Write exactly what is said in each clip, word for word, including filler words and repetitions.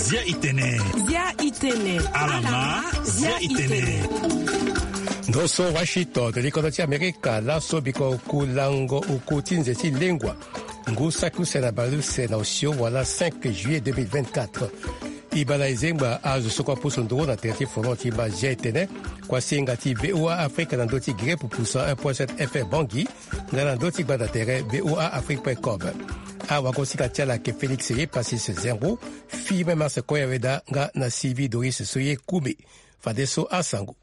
Zia itene. Zia itene. Alama, zia itene. Ndo so Washington, to likodo ti Amerika, laso biko oku lango oku ti nze ti lengua. Ngu saki use na bale use na osio wala cinq juillet deux mille vingt-quatre. E baa na e zengba azo so kue apusu nduru na tere ti folon ti e baa zia itene. Kuasinga ti V O A Afrika na ndö ti gere pupusa un point sept F M Bangui. Nga na ndö ti gbanda tere V O A Afrique point com. Awagosinga ti ala ayeke Félix Ye Passis Zengo, Firmin Mars Koyaweda nga na Sylvie Doris Soye Kume. Fadeso asango.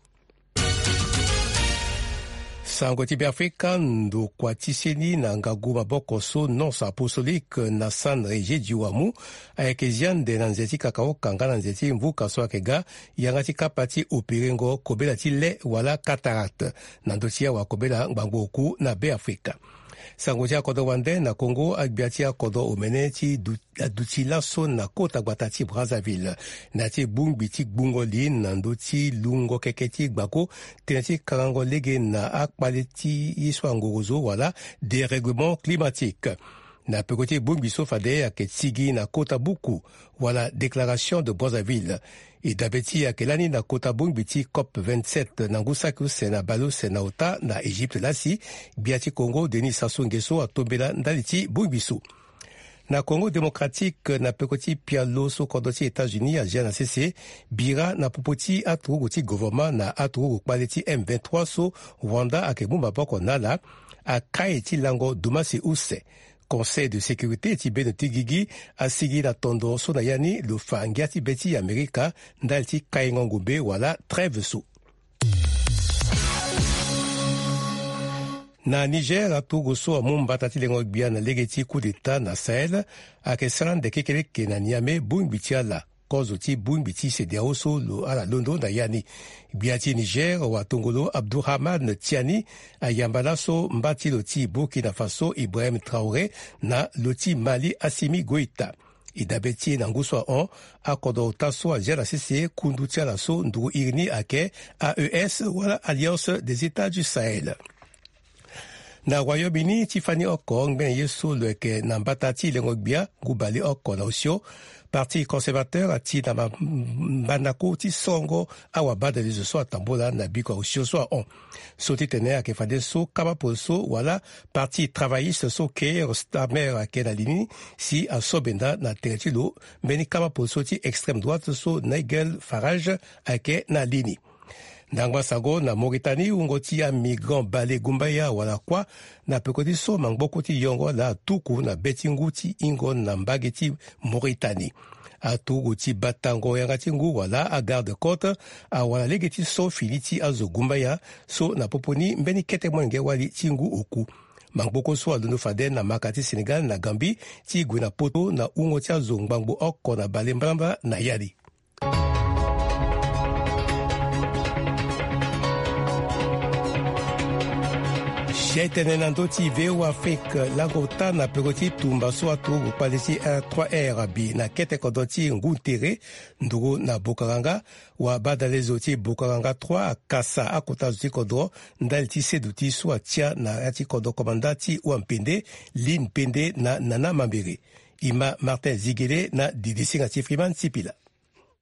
Sango ti Beafrika, ndokua ti seni na ngagu maboko so Nonce Apostolique na San Egidio amu ayeke zia ande na nze ti kakaoka nga na nze ti mvuka so ayeke ga yanga ti kapa ti operengo kobela ti le wala cataracte na ndö ti awa kobela ngbangbo oku na Beafrika. Sango ti akodro wande na Congo, agbia ti akodro omene ti du aduti laso na kota gbata ti Brazzaville na ya ti bongbi ti gbungo li na ndö ti lungo keke ti gbako tënë ti karango lege na akpale ti ye so angorozo wala dérèglement climatique. Na peko ti bongbi so fade ayeke tigi na kota buku wala Déclaration de Brazzaville. E dabe ti e ayeke lani na kota bongbi ti COP vingt-sept na ngu saki use na bale use na ota na Égypte lasi. Gbia ti Congo Denis Sassou Nguesso atombela ndali ti bongbi so. Na Congo Démocratique, na peko ti pialo so kodro ti États-Unis azia na sese, bira na popo ti aturugu ti gouvernement na aturugu kpale ti M vingt-trois so Rwanda ayeke mu maboko na ala, akai ti lango dumasi use. Conseil de sécurité ti bendo ti gigi asigi na tondo so na ya ni lo fa ngia ti be ti Amerika ndali ti kaingo ngombe wala trêve so. Na Niger, aturugu so amu mbata ti lengo gbia na lege ti coup d'état na Sahel ayeke sara ande kekeleke na Niamey bongbi ti ala, kozo ti bongbi ti CEDEAO so lo ala londo na ya ni. Gbia ti Niger watongolo Abdourahmane Tiani ayamba laso mba ti lo ti Burkina Faso Ibrahim Traoré na lo ti Mali Assimi Goïta. E dabe ti e na ngu so ahon, akodro ota so azia na sese kundu ti ala so nduru iri ni ayeke A E S wala Alliance des États du Sahel. Na Royaume-Uni ti fani oko ngbene ye so lo yeke na mbata ti lengo gbia ngu bale oko na osio, Parti conservateur ati na ma- mandako ti songo awabadalezo so atambola na biko ya osio so ahon. So ti tene ayeke fadeso kama polo so wala Parti travailliste so Keir Starmer ayeke na li ni si aso benda na tere ti lo mbeni kama polo so ti extrême droite so Nigel Farage ayeke na li ni. Ndangba sango na Mauritanie, wungo ti amigrant bale gumbaya wala kuâ na peko ti so mangboko ti yongo laa atuku na be ti ngu ti hingo na mbage ti Mauritanie. Aturugu ti batango yanga ti ngu wala agarde-côte awara lege ti so fini ti azo gumbaya so na popo ni mbeni kete molenge wali ti ngu oku. Mangboko so alondo fade na maka ti Sénégal na Gambie ti gue na poto na wungo ti azo ngbangbo oko na bale mbalambala na ya ni. Sia e tene na ndö ti V O A Afrique, lango ota na peko ti tumba so aturugu kpale ti R trois R abi na kete kodro ti ngu tere nduru na Bokaranga, wabadalezo ti Bokaranga trois akasa akota zo ti kodro ndali ti seduti so atia na ya ti kodro komanda ti Wampende, Lin Pende na Nana Mambere. Ima Martin Zigele na didisinga ti Freeman Sipila.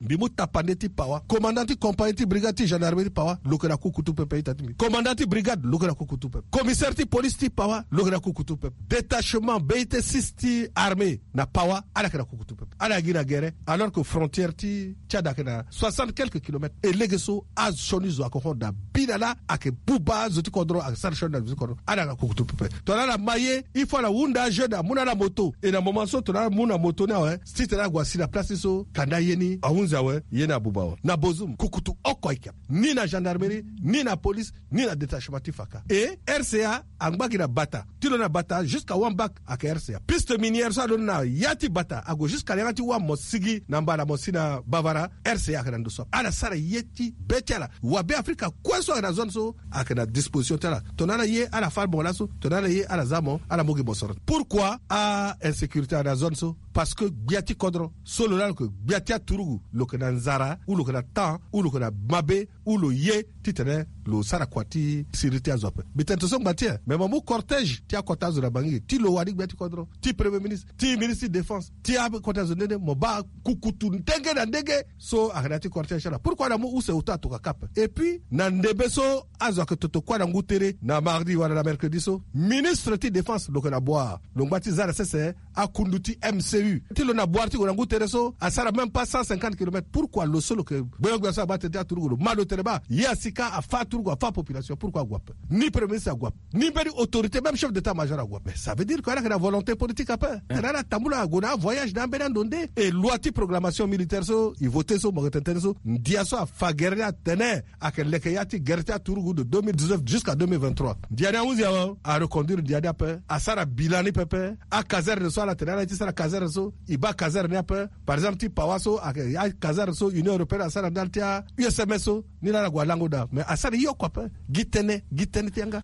Mbi mu tapande ti pawa. Commandant ti compagnie ti brigade ti gendarmerie ti pawa, lo yeke na kukutu pepe ita ti mbi. Commandant ti brigade, lo yeke na kukutu pepe. Commissaire ti police ti pawa, lo yeke na kukutu pepe. Détachement B I T six ti armée na pawa, ala yeke na kukutu pepe. Ala gi na gere, alors que frontière ti Tchad ayeke na soixante quelques kilomètres. E lege so asioni zo ayeke hon da bi na laa, ayeke buba azo ti kodro, ayeke sara sioni na zo ti kodro. Ala yeke na kukutu pepe. Tongana ala ma ye, il faut ala hunda ajeune amu na ala moto. E na moment so tongana ala mu na moto ni awe, si tena ague asi na place ni so kanda ye ni ahunzi awe, ye ni abuba awe. Na Bozoum, kukutu oko ayeke. Ni na gendarmerie, ni na police, ni na détachement ti faka. E R C A angba gi na Bata. Ti lo na Bata, jusqu'à Wambak ayeke R C A. Piste minière so alondo na ya ti Bata ague jusqu'à na yanga ti Wamosigi na mbala mo si na Bavara, R C A ayeke na ndo so. Ala sara ye ti be ti ala. Wabe Afrika kue so ayeke na zone so ayeke na disposition ti ala. Tongana ala ye ala fâ mo laso, tongana ala ye ala za mo, ala mu gi mosoro. Pourquoi a insécurité ayeke na zone so? Parce que gbia ti kodro so lo laa lo yeke gbia ti aturugu, lo yeke na nzara ou lo yeke na temps ou lo yeke na mabe ou lo ye titene lo sara kua ti siriri ti azo ape. Mbi tene to so ngba ti e, mais mo mu cortège ti akota azo na bangi ti lo wani gbia ti kodro, ti premier ministre, ti ministre ti défense, ti akota azo nde nde mo baa kukutu ndenge na ndenge. So ayeke na ya ti cortège ti ala. Pourquoi na mu use auto atoka kapa? Et puis na ndembe so azo ayeke toto kue na ngu tere na mardi wala na mercredi so, ministre ti défense lo yeke na boire, lo ngba ti za na sese akundu ti M C U ti lo na boire ti gue na ngu tere so asara même pas cent cinquante kilomètres. Pourquoi lo so lo yeke gbenyo-gbia so abaa tene ti aturugu lo ma lo tene baa ye asi ka afa aturugu, afa population? Pourquoi ague ape? Ni premier ministre ague ape, ni mbeni autorité, même chef d'état-major ague ape. Ça veut dire que ala yeke na volonté politique ape. Tene ala tambula ague na avoyage na ambeni ando nde. Et loi ti programmation militaire so e voté so mo yeke tene tënë so, ndia so afa gere ni atene ayeke leke ya ti gere ti aturugu de deux mille dix-neuf jusqu'à deux mille vingt-trois. Ndia ni ahunzi awe, areconduire ndia ni ape, asara bilan ni pepe. Akazerne so ala tene ala ye ti sara kazerne so, e baa kazerne ni ape. Par exemple ti Pawa so ayeke akazerne so Union européenne asara ndali ti a-U S M S so, ni laa ala gue alango daa. Mais asara ye oko ape. Gi tënë, gi tënë ti yanga.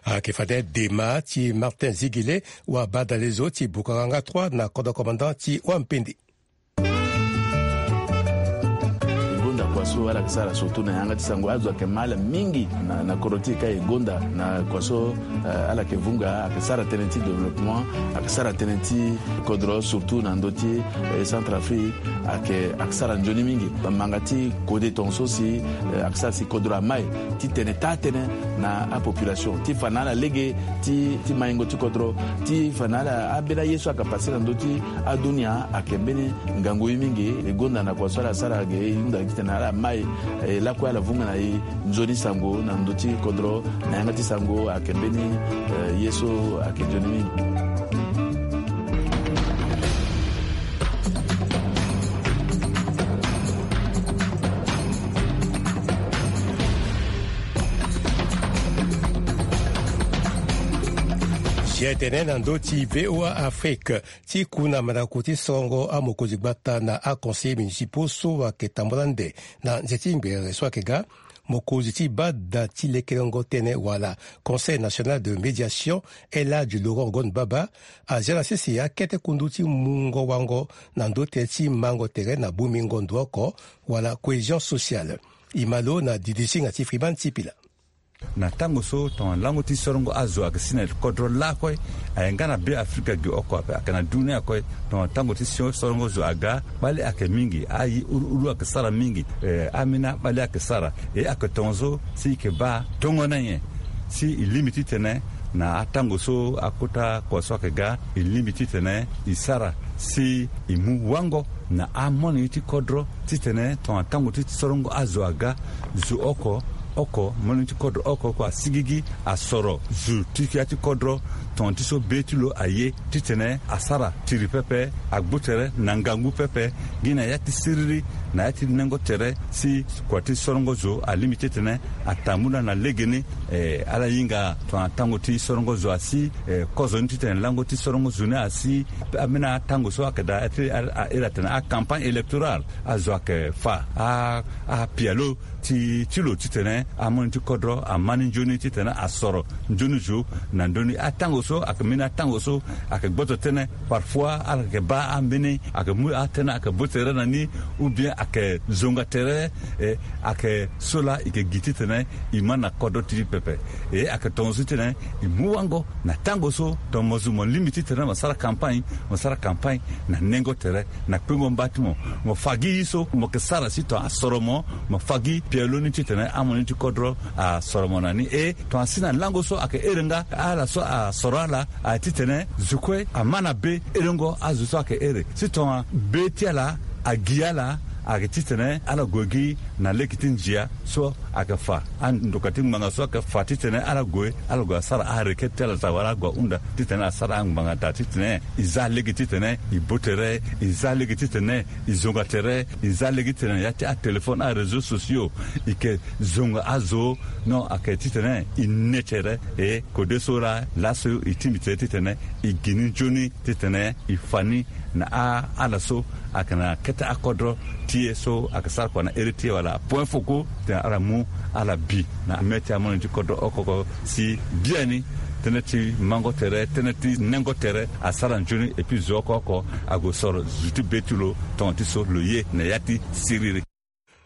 Ayeke fade dema ti Martin Zigile, wa badalezo ti Bukaranga trois na kodro commandant ti Wampindi. E gonda kua so ala yeke sara surtout na yanga ti sango, azo ayeke ma ala mingi na, na kodro ti e ka e gonda na kua so, eh, ala yeke vunga, ayeke sara tënë ti développement, ayeke sara tënë ti kodro surtout na ndö ti, eh, Centrafrique, ayeke, ayeke sara nzoni mingi. Manga ti kode tongaso si, eh, ayeke sara si kodro amai titene taa tënë na apopulation ti fa na ala lege ti, ti maingo ti kodro, ti fa na ala ambeni aye so ayeke pase na ndö ti adunia ayeke mbeni ngangu ye mingi. E gonda na kua so ala sara ge e hunda titene ala mai, eh, lakue ala vunga na e nzoni sango na ndö ti kodro na yanga ti sango ayeke mbeni, eh, ye so ayeke nzoni mingi. Zia tene na ndö ti V O A Afrique, ti ku na mandako ti sorongo amokonzi gbata na aconseillers municipaux so ayeke tambula ande na nze ti ngbere so ayeke ga, mokonzi ti bada ti lekerengo tënë wala Conseil national de médiation, El Hadj Laurent Gon Baba, azia na sese akete kundu ti mungo wango na ndö tënë ti mango tere na bongbingo ndo oko wala cohésion sociale. E ma lo na didisinga ti Freeman Sipila. Na tango so tongana lango ti sorongo azo ayeke si na kodro lakue, aye nga na Be Afrika ge oko ape, ayeke na dunia kue. Tongana tango ti so-, sorongo zo aga, kpale ayeke mingi, aye uru uru ayeke sara mingi, eh, ambeni akpale ayeke sara. E ayeke tongaso si e yeke baa tongana nyen si e lingbi titene na atango so akota kua so ayeke ga, e lingbi titene e sara si e mu wango na amonenge ti kodro titene tongana tango ti sorongo azo aga, zo oko oko, molenge ti kodro oko oko asigigi asoro zo ti ya ti kodro tongana ti so be ti lo aye titene asara tiri pepe, agbu tere na ngangu pepe, gi na ya ti siriri na ya ti nengo tere si kua ti sorongo zo alingbi titene atambula na legeni. Eh, ala hinga tongana tango ti sorongo zo asi, eh, kozoni titene lango ti sorongo zo ni asi. Ambeni atango so ayeke daa ti a, a, a iri atene acampagne électorale, azo ayeke fa a, apialo ti, ti lo titene amono ti kodro ama ni nzoni titene asoro nzoni zo na ndö ni. Atango so ayeke mbeni atango so ayeke gboto tënë, parfois ala yeke baa ambeni ayeke mu atënë ayeke bo tere na ni, ou bien ayeke zonga tere, eh, ayeke so laa e yeke gi titene e ma na kodro ti e pepe. E ayeke tongaso titene e mu wango na tango so tongana mo zo mo lingbi titene mo sara campagne, mo sara campagne na nengo tere, na kpengo mba ti mo. Mo fa gi ye so mo yeke sara si tongana asoro mo, mo fa gi pialo ni titene amono ti kodro asoro mo na ni. E tongana si na lango so ayeke ere nga ala so asoro ala, a titene zo kue ama na be erengo azo so ayeke ere. Si tongana be ti ala agi ala, ayeke titene ala gue gi na lege ti ndia so ayeke fa andoka ti ngbanga so ayeke fa titene ala gue, ala gue asara arequête ti ala daa wala ala gue ahunda titene asara angbanga daa titene e za lege titene e bo tere, e za lege titene e zonga tere, e za lege titene ya ti atéléphone, aréseaux sociaux, e yeke zonga azo. Non, ayeke titene e ne tere. E kode so laa, laso e tingbi tere titene e gi ni nzoni titene e fa ni Na a ala so ayeke na kete akodro ti e so ayeke sara kua na ere ti e wala apoint foko tena ala mu ala bi na mê ti amolenge ti kodro oko oko si biani tënë ti mango tere tënë ti nengo tere asara nzoni epui zo oko oko ague soro zo ti be ti lo tonga ti so lo ye na ya ti siriri.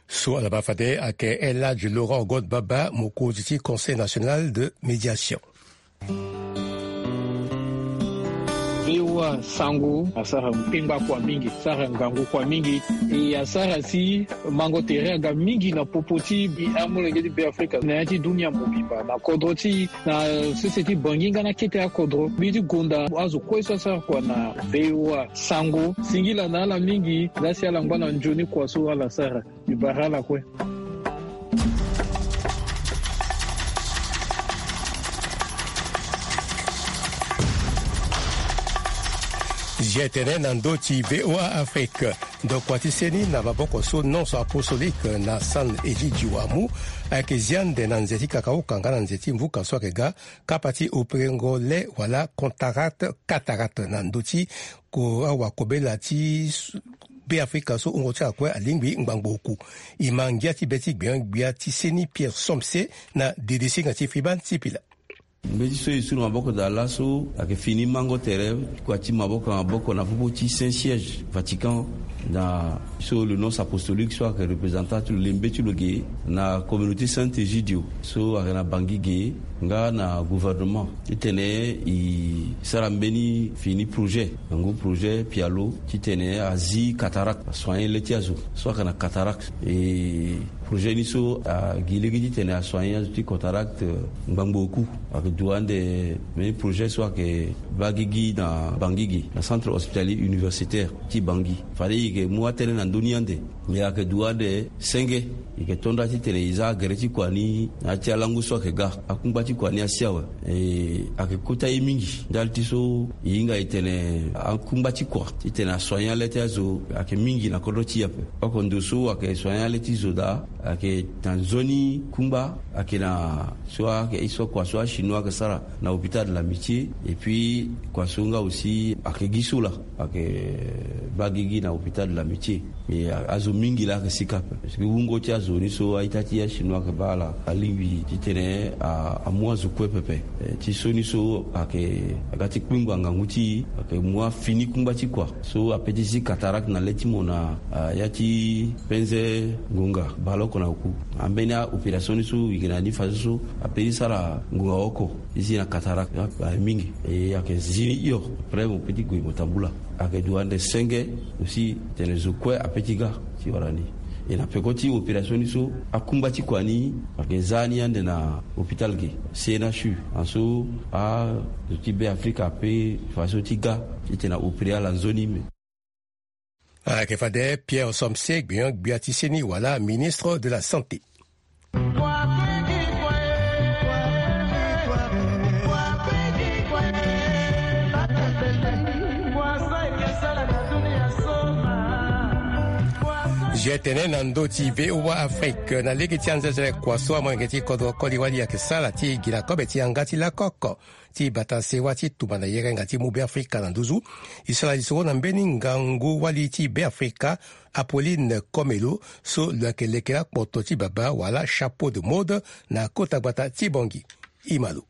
So ala baa fade ayeke El Hadj Laurent Godbaba, mokonzi ti Conseil national de médiation. Vewa sango asara kpengba kua mingi, asara ngangu kua mingi. E asara si mango tere aga mingi na popo ti bi amolenge ti Be Afrika na ya ti dunia mobimba na kodro ti na sese ti Bangi nga na kete akodro. Mbi ti gonda azo kue so asara kua na Vewa sango singila na ala mingi. Laa si ala ngba na nzoni kua so ala sara. Mbi bara ala kue. Zia tene na ndö ti V O A Afrique. Ndokua ti seni na maboko so nonso apostolique na San Egidio amu ayeke zia ande na nze ti kakaoka nga na nze ti mvuka so ayeke ga kapa ti operengo le wala contarat cataracte na ndö ti ko awakobela ti Be Afrika so hungo ti ala kue alingbi ngbangbo oku. E ma ngia ti be ti gbion-gbia ti seni Pierre Somse na dede singa ti Fiban Sipila. Mbeti so e su na maboko daa laso ayeke fini mango tere kua ti maboko na maboko na popo ti Saint Siège Vatican na so le nonce apostolique so ayeke représentant ti lo lembe ti lo ge na communauté Saint Egidio so ayeke na Bangi ge nga na gouvernement titene e sara mbeni fini projet na ngu projet pialo titene azi cataracte asoigner le ti azo so ayeke na cataracte. E projet ni so agi lege titene asoigner azo ti cataracte ngbangbo oku. Ayeke dua ande mbeni projet so ayeke baa gigi na Bangi ge na centre hospitalier universitaire ti Bangi. Fade e yeke mu atënë na ndö ni ande. Me ayeke dua ande senge e yeke tonda titene e za agere ti kua ni na ya ti alango so ayeke ga. Akungba ti kua ni asi awe. E ayeke kota ye mingi ndali ti so e hinga e tene akungba ti kua titene asoigner le ti azo ayeke mingi na kodro ti e ape. Oko ndo so ayeke soigner le ti zo daa ayeke na nzoni kungba ayeke na so ayeke ye so kua so achinois ayeke sara na hôpital de l'amitié. Et puis kua so nga aussi ayeke gi so laa ayeke baa gigi na hôpital de l'amitié. Mais azo mingi laa ayeke sika ape parce que wungo ti azo ni so a-ita ti achinois ayeke baa ala alingbi titene amu azo kue pepe. Ti so ni so ayeke aga ti kpengba ngangu ti e ayeke mu afini kungba ti kua so ape ti zi cataracte na le ti mo na ya ti penze ngonga baleoko na oku. Ambeni aopération ni so e yeke na ni fadeso so ape ti sara ngonga oko ti zi na cataracte aye mingi. E ayeke zi ni hio après mo pe ti gue mo tambula. Ayeke dua ande senge aussi tene zo kue ape ti ga ti wara ni. E na peko ti opération ni so akungba ti kua ni ayeke za ni ande na hôpital ge C N H U anso azo ti Be Afrika ape faso ti ga titene aopéré ala nzoni me. Ayeke fade Pierre Somse gbenyo-gbia ti seni wala ministre de la santé. Zia tene na ndö ti V O A Afrique na lege ti anzezele kua so amolenge ti kodro koli wali ayeke sara ti gi na kobe ti yanga ti lakoko ti bata sewa ti tumba na yerenga ti mu Beafrika na nduzu. E sara lisoro na mbeni ngangu wali ti Beafrika, Apolline Komelo, so lo yeke leke lakpoto ti baba wala chapeau de mode na kota gbata ti Bangui. E ma lo.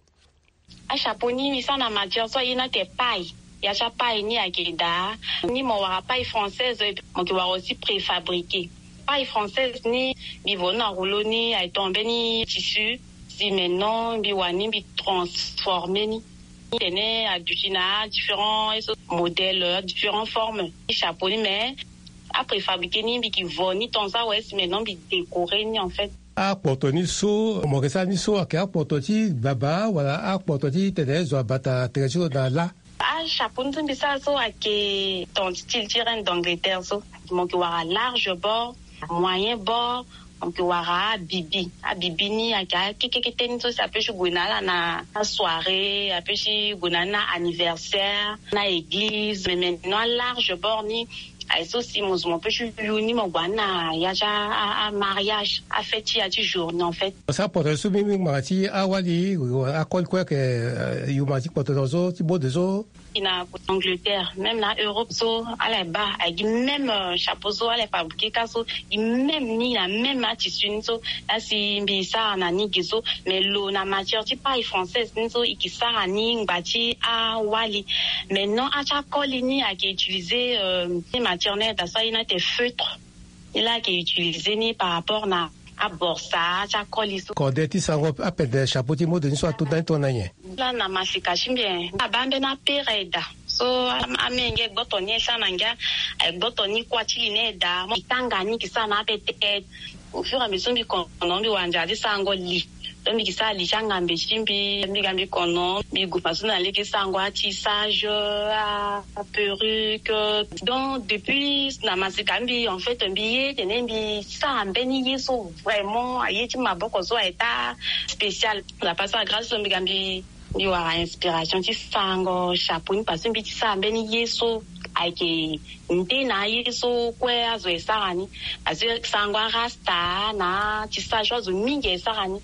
Achapeau ni mbi sara na matière so aye ni ayeke paille. Ya ti apaille ni ayeke daa ni mo wara paille française, mo yeke wara aussi préfabriqué. Paille française ni mbi vo ni na rouleau ni ayeke tongana mbeni tissu. Si maintenant mbi wara ni mbi transformer ni. Tene aduti na différents modèles, différentes formes ti chapeau ni, mais apréfabriqué ni mbi yeke vo ni tant ça, ouais, si maintenant mbi décorer ni en fait. Akpoto ni so mo yeke sara ni so ayeke akpoto ti baba wala akpoto ti tene zo abata tere ti lo na lâ? Achapeau ni so mbi sara so ayeke dans style ti reine d'Angleterre so. Mo yeke wara large bord, moyen bord, mo yeke wara abibi. Abibi ni ayeke akekekete ni so si ape ti gue na ala na asoirée, ape ti gue na ala na anniversaire, na église. Mais maintenant alarge bord ni Aye so si mo zo mo pe ti yu ni mo gue na ya ti a- a- amariage, afête ti ya ti journée en fait. Sa poto so mbi mbi ngbanga ti awali akoli kue ayeke yu ma ti kpoto na zo ti bode so. I na Angleterre, même na Europe so ala ye baa, aye gi même euh, chapeau so ala ye fabriquer ka so, gi même ni na même atissu ni so. Laa si mbi sara na ni ge so, mais lo na matière ti paille française ni so i ke sara ni ngba ti awali. Maintenant ati akoli ni ayeke utiliser euh, matière ni daa so aye ni ate feutre. Ni laa ayeke utiliser ni par rapport na aborsa ti akoli so. Kode ti sango apende chapeau ti mode ni so ato nda ni tongana nyen? Laa na masika ti mbi e, abaa mbeni apere daa. So amenge gboto ni e sara na ngia, aye gboto ni kuâ ti li ni e daa. Mo i tanga ni ke sara na ape te. Au fur et à mesure mbi kono mbi wara nzara ti sarango li. Donc mbi ke sara li ti angambe ti mbi, mbi ga mbi kono mbi gue façon na lege sarango atissage, aperruque. Donc depuis na masika mbi en fait mbi ye tene mbi sara mbeni ye so vraiment aye ti maboko so aye ta spécial. La passe à grâce so mbi ga mbi mbi wara inspiration ti sarango chapeau ni parce que mbi ti sara mbeni ye so ayeke nde na aye so kue azo e sara ni. Parce que sarango arasta na tissage so azo mingi e sara ni.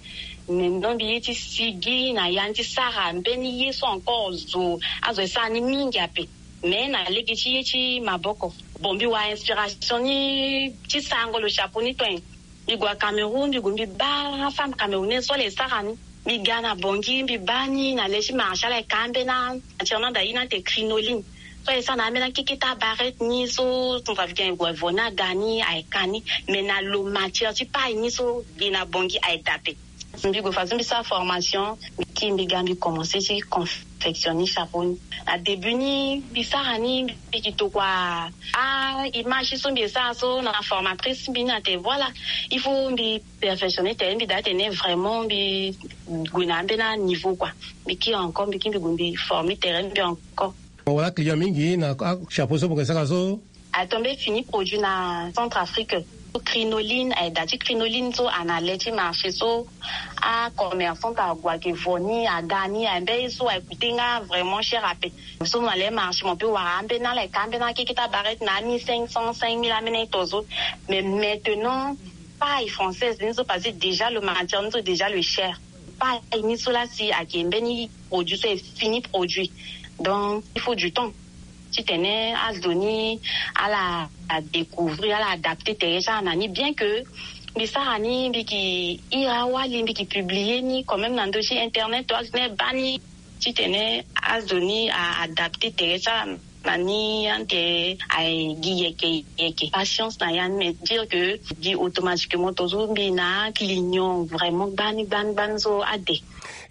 Mais non mbi ye ti sigi na ya ni ti sara mbeni ye so encore zo azo e sara ni mingi ape. Mais na lege ti ye ti maboko. Bon mbi wara inspiration ni ti sarango lo chapeau ni to nyen? Mbi gue na Cameroun mbi gue mbi baa femme camerounaise so ala ye sara ni. Mbi ga na Bangui mbi baa ni na le ti marché ala ye ka ambeni amatière ni anda ye ni ate crinoline. So aye sara na ambeni akeketa barrette ni so centrafricain aye gue vo ni aga ni aye ka ni. Mais na lo matière ti paille ni so ge na Bangui aye daa ape. Mbi gue façon mbi sara formation mbi kiri mbi ga mbi commencer ti confectionner chapeau ni. Na début ni mbi sara ni mbi ke tokua a image so mbi e sara so na formatrice mbi ni ate voilà il faut mbi perfectionner tere mbi daa tene vraiment mbi gue na ambeni aniveau quoi. Mbi kiri encore mbi kiri mbi gue mbi former tere mbi encore. Mo wara client mingi na achapeau so mo ke sara so? Atombe fini produit na Centrafrique. Crinoline aye daa ti crinoline so ana le ti marché so. Acommerçante ague ayeke vo ni aga ni aye mbeni ye so aye coûter nga vraiment cher ape. So mo na le marché mo pe wara ambeni ala ye ka ambeni akeketa barrette na ami cinq cents cinq mille ambeni aye to so. Mais maintenant paille française ni so parce que déjà lo matière ni so déjà lo cher. Paille ni so laa si ayeke mbeni produit so e fini produit. Donc il faut du temps titene azo ni ala découvrir ala adapter tere ti ala na ni bien que mbi sara ni mbi ke iri awali mbi ke publier ni quand même na ndö ti internet to azo ni baa ni titene azo ni a adapter tere ti ala na ni ande aye gi yeke yeke patience na ya ni mais dire que gi automatiquement to so mbi na client vraiment gbani gbani gbani so ade.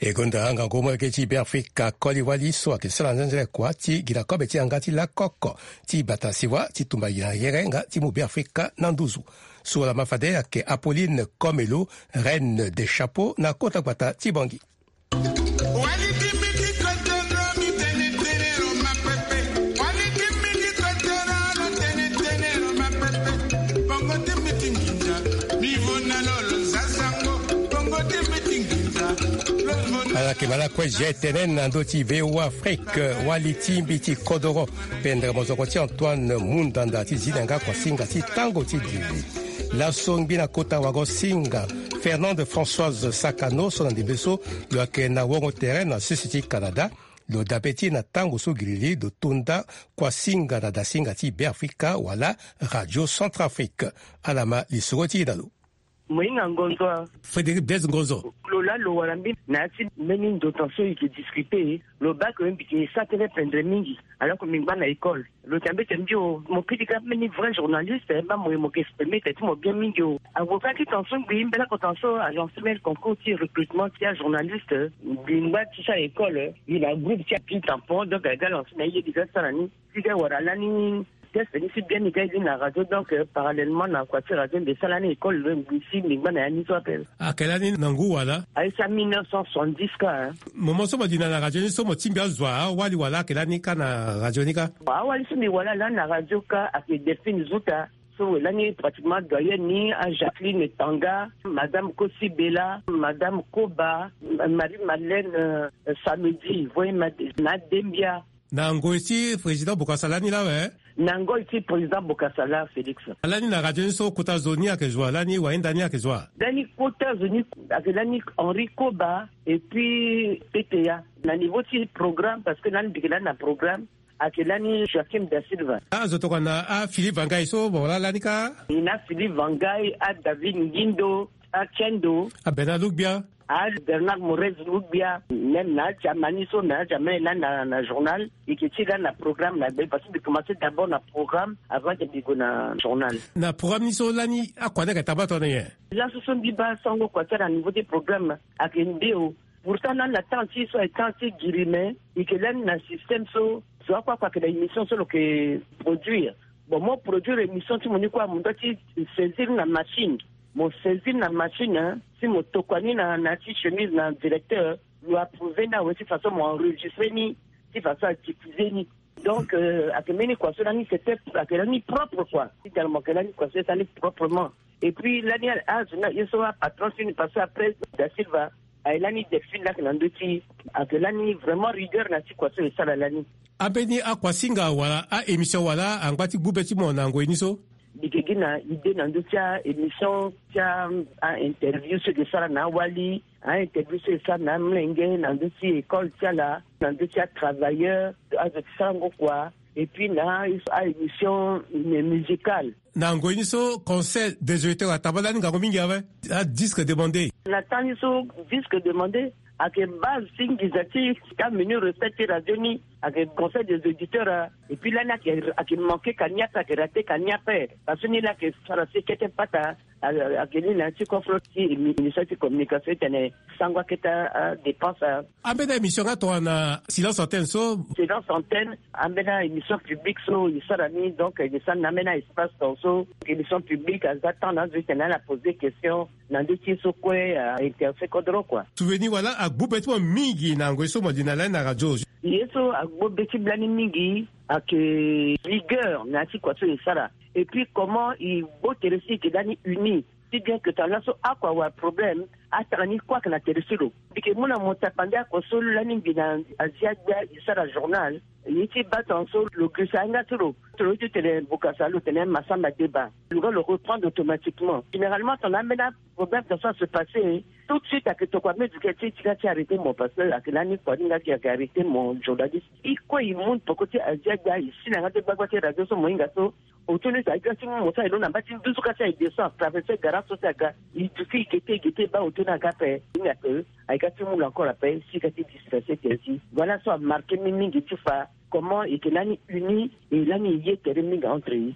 E gonda ngangu molenge ti Beafrika koli wali so ayeke sara nzenzele kua ti gi na kobe ti yanga ti lakoko ti bata siwa ti tumba gi na yere nga ti mu Beafrika na nduzu. So wala ma fade ayeke Apolline Komelo, reine des chapeaux na kota gbata ti Bangui. Ala yeke ma lakue G T N na ndö ti V O A Afrique, wali ti mbi ti kodoro, pendere mozoko ti Antoine Mundanda ti zi na yanga kuasinga ti tango ti diri. Laso ngbi na kota wago singa Fernande Françoise Sakano so na ndembe so lo yeke na wongo tere na sese ti Canada. Lo dabe ti e na tango so giriri lo to nda kuasinga na dasinga ti Beafrika wala Radio Centrafrique. Ala ma lisoro ti e na lo. Moyinga Ngonzo. Frédéric Blaise Ngonzo. Lo laa lo wara mbi na ya ti mbeni ndo tan so e ke discuter. Lo baa ke mbi ke sara tënë pendere mingi alors que mbi ngba na école. Lo tene mbeti mbi o mo kiri ka mbeni vrai journaliste, eh, baa mo ye mo ke exprimer tene ti mo bien mingi o. Avocat ti tan so ngbi mbela ko tan so a lancer mbeni concours ti recrutement ti ajournaliste. Mbi ngba ti sara école, eh, mbi na groupe ti api tampon, donc aga lancer na ye mbi ga sara ni. Ti ga wara lani test ni si bien mbi ga ye na radio, donc, euh, parallèlement na kua ti radio mbi sara lani école, euh, mbi si mbi ngba na ya ni so ape. Ayeke lani na ngu wala? Aye sara mille neuf cent soixante-dix ka, hein. Moment so mo li na na radio ni so mo tingbi azo awali wala ayeke lani ka na radio ni ka? Awali so mbi wara lani na radio ka ayeke Delphine Zuta. So lani pratiquement doyenne ni, a Jacqueline Tanga, Madame Kosi Bella, Madame Koba, Marie Madeleine, euh, Samedi, voye ma-, na Dembia. Na ngoi ti président Bokassa lani la awe, Na ngoi ti président Bokassa Laa Félix. Lani na radio ni so kota zo ni ayeke zo wa, lani wahinda ni ayeke zo wa? Lani kota zo ni ayeke lani Henri Koba et puis T T A. Na niveau ti programme, parce que lani mbi yeke lani na programme, ayeke lani Joachim da Silva. Azo tokua na aPhilippe Vangai so mo wara lani kâ? Ni na Philippe Vangai, aDavid Ngindo, aKendo, aBernard Lougbia, aBernard Morez Lougbia, même na aJamani so, na aJamani lani na, na journal. E yeke ti lani na programme na gbe, parce que mbi commencé d'abord na programme avant que mbi gue na journal. Na programme ni so lani akua ni ayeke taba tongana nyen? Laso so mbi baa sango kua ti ala na niveau ti programme ayeke nde o. Pourtant lani na temps ti so ayeke temps ti giri, mais e yeke lani na système so zo akua akua ayeke na émission so lo yeke produire. Bon, mo produire émission ti mo ni kue, mo doit ti saisir na machine. Mo saisir na machine, hein, si mo tokua ni na, na ya ti chemise na directeur, lo approuver ni awe ti façon mo enregistrer ni, ti façon a diffuser ni. Donc, euh, ayeke mbeni kua so lani c'était, ayeke lani propre quoi. Ti tene mo yeke lani kua so e sara ni proprement. Et puis lani azo ni aye so apatron ti ni, parce que après Da Silva, aye lani Delphine laa ayeke na ndö ti, ayeke lani vraiment rigueur na ya ti kua so e sara lani. Ambeni akuasinga wala a-émission wala angba ti gbu be ti mo na ngoi ni so? Mbi yeke gi na idée na ndö ti a-émission ti a, a-interview so e yeke sara na awali, a-interview so e sara na amolenge na ndö ti école ti ala, na ndö ti atravailleur, azo ti sarango kua, et puis na a-émission mu-, musicale. Na ngoi ni so Conseil des auditeurs ataba lani ngangu mingi awe, adisque demandé. Na temps ni so disque demandé ayeke base ti nginza ti amenu recette ti radio ni, ayeke Conseil des auditeurs, ah. Et puis lani ayeke, ayeke manqué ka ni ape, ayeke raté ka ni ape. Parce que ni laa ayeke sara si kete pata, ah, ayeke ni na ya ti coffre ti émi-, ministère ti communication ti tene sango akete, ah, dépense, ah. Ambeni émission nga tongana Silence Antenne so? Silence Antenne, ambeni émission publique so e sara ni, donc e sara na ambeni espace ton so émission publique aza temps na azo ti tene ala poser question na ndö ti ye so kue, ah, intéressé kodro quoi. Souvenir wala agbu be ti mo mingi na ngoi so mo li na lani na radio? Ye so agbu be ti mbi lani mingi ayeke rigueur na ya ti kua so e sara. Et puis comment e gbu tere so e yeke lani uni. Si bien que tongana laso ako awe problème, atara ni kue ayeke na tere ti lo. Mbi yeke mu na mo tapande ako so lani mbi na Azi Agbia e sara journal. Ye ti baa tongaso lo girisa yanga ti lo. Tongana lo ye ti tene Bokassa, lo tene Massamba Deba, lo ga lo reprendre automatiquement. Généralement tongana ambeni aproblème tongaso a se passer, tout de suite ayeke tokua meziki ti ti ga ti arrêter mo, parce que ayeke lani kua ni nga ti ayeke arrêter mo journaliste. E kue e mu peko ti Azi Agbia, e si na yanga ti gbagba ti radio so mo hinga so. Otun ni so aye ga ti mu mo so aye londo na mba ti nduzu ka ti aye descend, traverser garage so ti aga. E duti e gete, e gete e baa otun ni aga ape. Ni ape aye ga ti mu lo encore ape si e ga ti disperser ti aye si. Voilà so amarqué mbi mingi ti fa comment e yeke lani uni et lani e ye tere mingi entre e.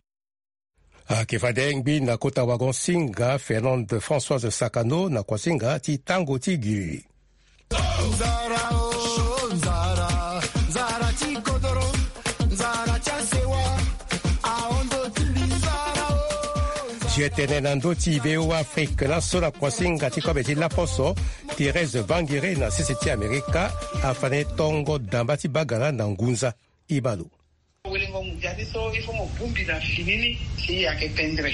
Ayeke fade ngbi na kota wagon singa Fernande Françoise Sakano na kuasinga ti tango ti giri. Nzara o, nzara, nzara ti kodoro, nzara ti asewa, ahondo ti mbi nzara o. Nzara. Ti e tene na ndö ti V O A Afrique laso na kuasinga ti kobe ti laposo, Thérèse Vangere na sese ti Amerika afa na e tongo damba ti bagala na ngunza. E baa lo. Welengo mondial ni so, il faut mo bongbi na fini ni si ayeke pendre.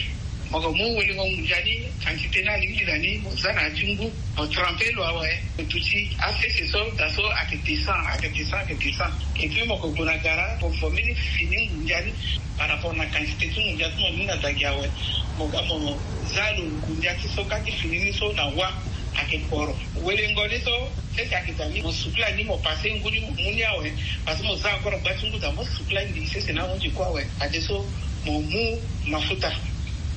Mo yeke mu welengo mondial ni, quantité ni alingbi na ni, mo za na ya ti ngu, mo tremper lo awe, mo duti asese so, da so ayeke descend, ayeke descend, ayeke descend. Et puis mo yeke gue na gara, mo former ni fini mondial ni par rapport na quantité ti mondial ti mo ni na dagi awe. Mo ga mo za lo mondial ti so ka ti fini ni so na wa. Ayeke poro. Welengo ni so, sese ayeke daa ni, mo sukula ni, mo passer ngu ni, mo mu ni awe. Parce que mo za encore gba ti ngu daa, mo sukula ni, sese ni ahunzi kue awe. Fadeso mo mu mafuta,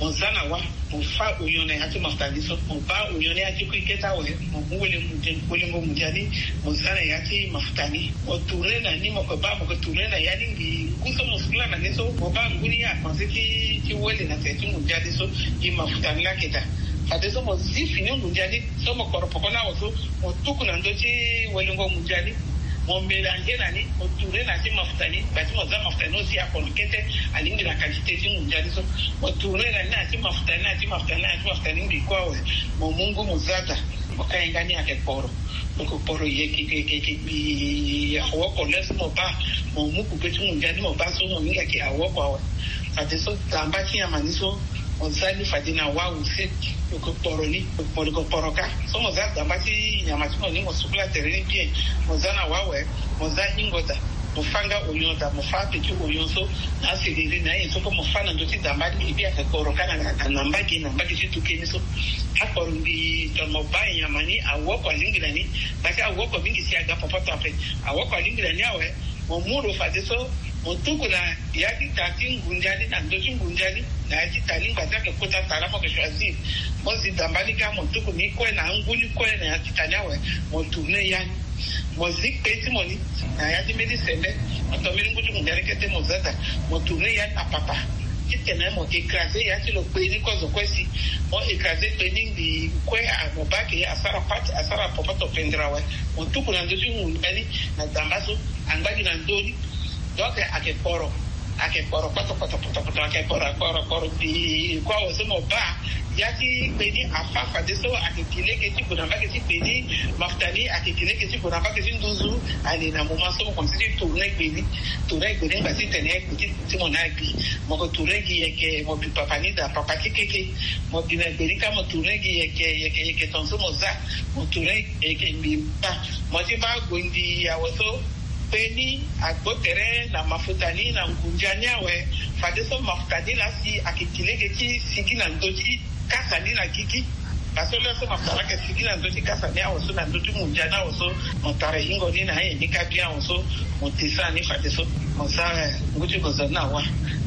mo za na wa, mo fâ oignon na ya ti mafuta ni so, mo baa oignon ni ya ti kui kete awe, mo mu wele-, welengo mondial ni, mo za na ya ti mafuta ni. Mo tourner na ni, mo yeke baa, mo yeke tourner na ya ni, ngu so mo sukula na ni so, mo baa ngu ni apanse ti, ti wele na tere ti mondial ni so, gi mafuta ni laa ayeke daa. Fadeso mo zi fini mondial ni, so mo koro poko ni awe so, mo tuku na ndö ti welengo mondial ni, mo mélanger na ni, mo tourner na ya ti mafuta ni, gba ti mo za mafuta ni aussi akono kete, alingbi na quantité ti mondial ni so, mo tourner na ni na ya ti mafuta ni, na ya ti mafuta ni, na ya ti mafuta ni, ngbi kue awe, mo mu ngu mo za daa, mo ka hinga ni ayeke poro. Donc poro yeke, yeke, yeke, yeke, awoko le so mo baa, mo mu kupe ti mondial ni mo baa so mo hinga yeke awoko awe. Fadeso damba ti nyama ni so, mo za ni fade na wa use, lo yeke poro ni, lo yeke poro ka. So mo za damba ti nyama ti mo ni, mo sukula tere ni bien, mo za na wa awe, mo za hingo daa. Mo fâ nga oyon daa, mo fâ ape ti oyon so na aseleri na ayen so kue mo fâ na ndö ti damba ni. Ebi ayeke kporo ka na, na, na mbage, na mbage ti tuke ni so. Akporo mbi tongana mo bâ nyama ni, awoko alingbi na ni. Parce que awoko mingi si aga popoto ape. Awoko alingbi na ni awe. Mo mu lo fadeso, mo tuku na ya ti ta ti ngundia ni, na ndö ti ngundia ni, na ya ti ta ni ngba ti ayeke kota ta laa mo yeke choisir. Mo zi damba ni kâ, mo tuku ni kue na angu ni kue na ya ti ta ni awe. Mo tourner ya ni. Mo zi kpe ti mo ni na ya ti mbeni sembe. Mo to mbeni ngu ti ngundia ni kete, mo za daa. Mo tourner ya ni na papa. Titene mo écraser ya ti lo kpe ni kue zo kue si. Mo écraser kpe ni ngbii kue, a, mo bâ ayeke asara pâte, asara popoto pendere awe. Mo tuku na ndö ti ngundia ni na damba so. Angba gi na ndö ni. Donc ayeke kporo. Ayeke kporo kpoto kpoto kpoto kpoto, ayeke kporo, kporo, kporo. Mbi kue awe so mo bâ. Ya ti kpe ni afâ fadeso, ayeke gi lege ti gue na mbage ti kpe ni. Mafuta ni ayeke gi lege ti gue na mbage ti nduzu. Allez, na moment so mo komanse ti tourner kpe ni. Tourner kpe ni ngba titene kpe ti, ti mo ni agbi. Mo yeke tourner gi yeke, mo bi papa ni daa, papa ti keke. Mo bi na kpe ni kâ, mo tourner gi yeke, yeke, yeke tongaso mo za. Mo tourner yeke mbi bâ. Mo ti bâ gue ngbii awe so. Kpe ni agbo tere na mafuta ni na ngundia ni awe. Fadeso mafuta ni laa si ayeke gi lege ti sigi na ndö ti kasa ni na gigi. Parce que laa so mafuta laa ayeke sigi na ndö ti kasa ni awe so, na ndö ti ngundia ni awe so, mo tara hingo ni na ayen ni kâ bien awe so, mo descend ni fadeso. Mo za, eh, ngu ti gonzo ni na wâ.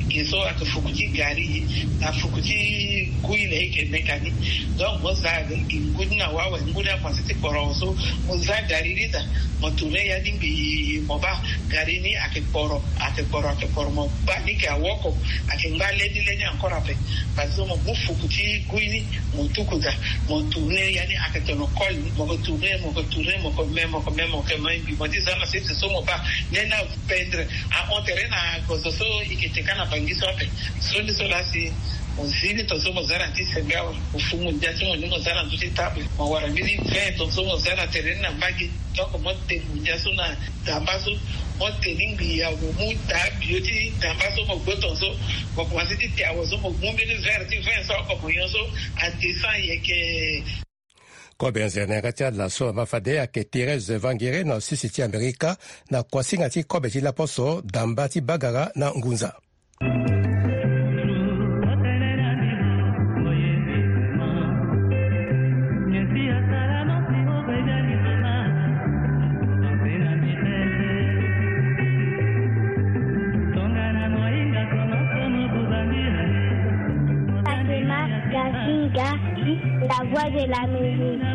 Ge so ayeke fuku ti gari, na fuku ti gui na e yeke meka ni. Donc mo za, eh, ngu ni na wâ awe, ngu ni akomanse ti kporo awe so, mo za gari ni daa. Mo tourner ya ni ngbii, mo bâ gari ni ayeke kporo, ayeke kporo, ayeke kporo, mo bâ ni yeke awoko, ayeke ngba leni leni encore ape. Parce que mo mu fuku ti gui ni, mo tuku daa, mo tourner ya ni ayeke tono kol ni, mo yeke tourner, mo yeke tourner, mo yeke me, mo yeke me, mo yeke me ngbii, mo ti za na sese so mo bâ, leni apendre, ahon tere na gonzo so e yeke te kâ na Bangui so ape. So ni so laa si mo zi ni tongaso mo za na ti sembe awe, mo fu ngundia ti mo ni mo za na ndö ti table, mo wara mbeni vin tongaso mo za na tere ni na mbage. Donc mo te ngundia so na damba so, mo te ni ngbii awe, mo mu taa bio ti damba so, mo gbo tongaso, mo komanse ti te awe so, mo mu mbeni verre ti vin so oko mo nyon so, adescend yeke. Kobe nzere na yanga ti ala so ama fade ayeke Thérèse Vangere na sese ti Amerika, na kuasinga ti kobe ti laposo damba ti bagara na ngunza. Fatima Gazinga, la voix de la musique.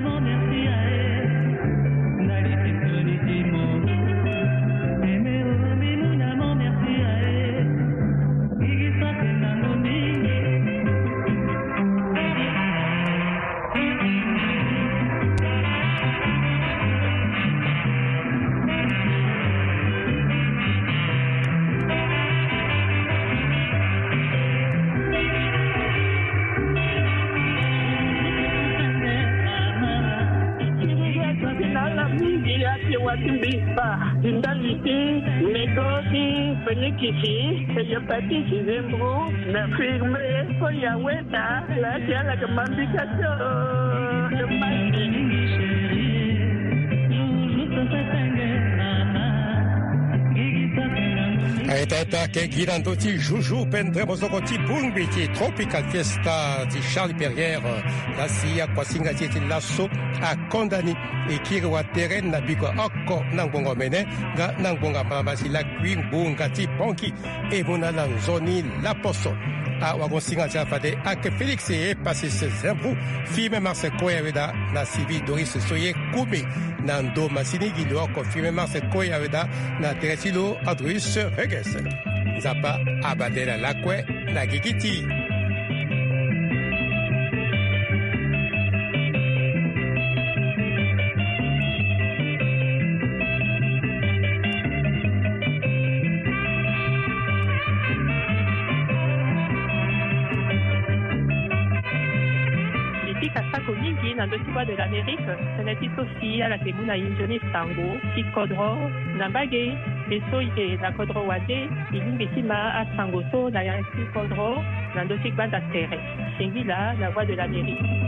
Ala mingi ya ti wa ti mbi kpa ti ndali ti nego ti penikisi, hépatite, zembro, na infirmier so ya weta. Laa ti ala yeke ma mbika ti o. Aye taa taa, ayeke gi na ndö ti Joujou Pendremo so oko ti bongbi ti Tropical Fiesta ti Charles Perrier. Laa si akuasinga ti e ti laso akonda ni, e kiri watere na biko oko na ngbonga omene nga na ngbonga malama si lakui ngbonga ti Ponki. E mu na ala nzoni laposo. Awagosinga ti ala fade ayeke Félix Epasis Zembro, Firmin Marcel Koya Weda na Sylvie Doris Soye Kumi. Na ndo masini gi lo oko Firmin Marcel Koya Weda na tere ti lo Andreus Reges. Nzapa abadela lakue na gigi ti. Mbi pika sako mingi na ndö ti Voix de l'Amérique, tënë ti so si ala yeke mu na e nzoni sango ti kodro na mbage. Mbi so e yeke na kodro wande, e lingbi ti ma asango so na ya ti kodro na ndö ti gbanda tere. Singila na Voix de l'Amérique.